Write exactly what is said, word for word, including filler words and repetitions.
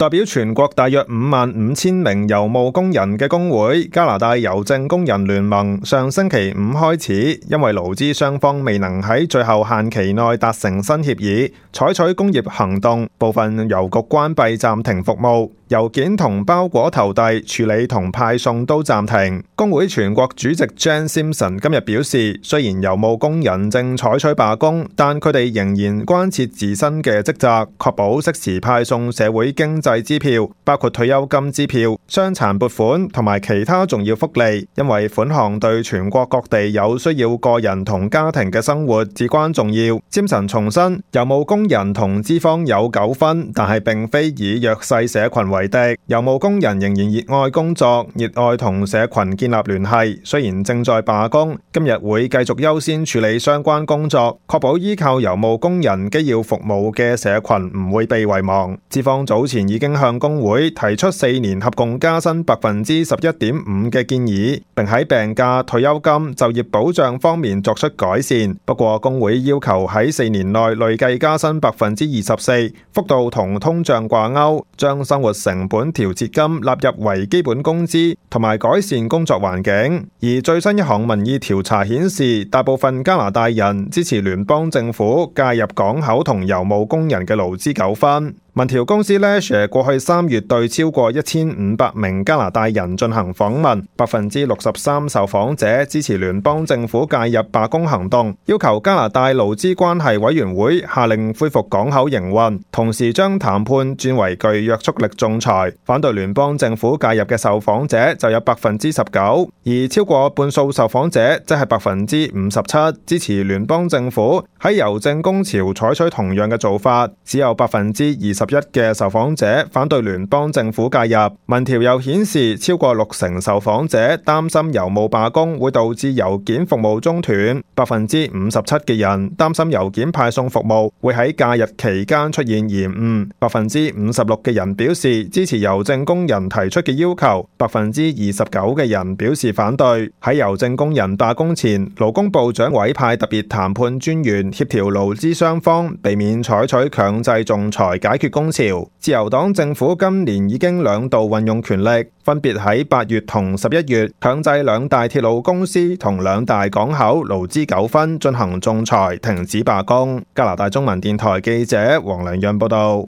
代表全國大約五萬五千名郵務工人嘅工會加拿大郵政工人聯盟上星期五開始，因為勞資雙方未能喺最後限期內達成新協議，採取工業行動，部分郵局關閉暫停服務，郵件同包裹投遞、處理同派送都暫停。工會全國主席 Jan Simpson 今日表示，雖然郵務工人正採取罷工，但佢哋仍然關切自身嘅職責，確保適時派送社會經濟支票，包括退休金支票、傷殘撥款同埋其他重要福利，因為款項對全國各地有需要個人同家庭嘅生活至關重要。詹神重申，郵務工人同資方有糾紛，但係並非以弱勢社群為敵。郵務工人仍然熱愛工作，熱愛同社群建立聯繫，雖然正在罷工，今日會繼續優先處理相關工作，確保依靠郵務工人機要服務嘅社群唔會被遺忘。資方早前已經向工會提出四年合共加薪百分之十一點五嘅建議，並喺病假、退休金、就業保障方面作出改善。不過工會要求喺四年內累計加薪百分之二十四，幅度同通脹掛鈎，將生活成本調節金納入為基本工資，同埋改善工作環境。而最新一項民意調查顯示，大部分加拿大人支持聯邦政府介入港口同郵務工人嘅勞資糾紛。民調公司 Leger 過去三月對超過一千五百名加拿大人進行訪問，百分之六十三受訪者支持聯邦政府介入罷工行動，要求加拿大勞資關係委員會下令恢復港口營運，同時將談判轉為具約束力仲裁。反對聯邦政府介入嘅受訪者就有百分之十九，而超過半數受訪者即係百分之五十七支持聯邦政府喺郵政工潮採取同樣嘅做法，只有百分之二十一嘅受訪者反對聯邦政府介入。民調又顯示，超過六成受訪者擔心郵務罷工會導致郵件服務中斷，百分之五十七嘅人擔心郵件派送服務會喺假日期間出現延誤，百分之五十六嘅人表示支持郵政工人提出嘅要求，百分之二十九嘅人表示反對。喺郵政工人罷工前，勞工部長委派特別談判專員協調勞資雙方，避免採取強制仲裁解決工潮。自由黨政府今年已經兩度運用權力，分別喺八月同十一月強制兩大鐵路公司同兩大港口勞資糾紛進行仲裁，停止罷工。加拿大中文電台記者黃良潤報道。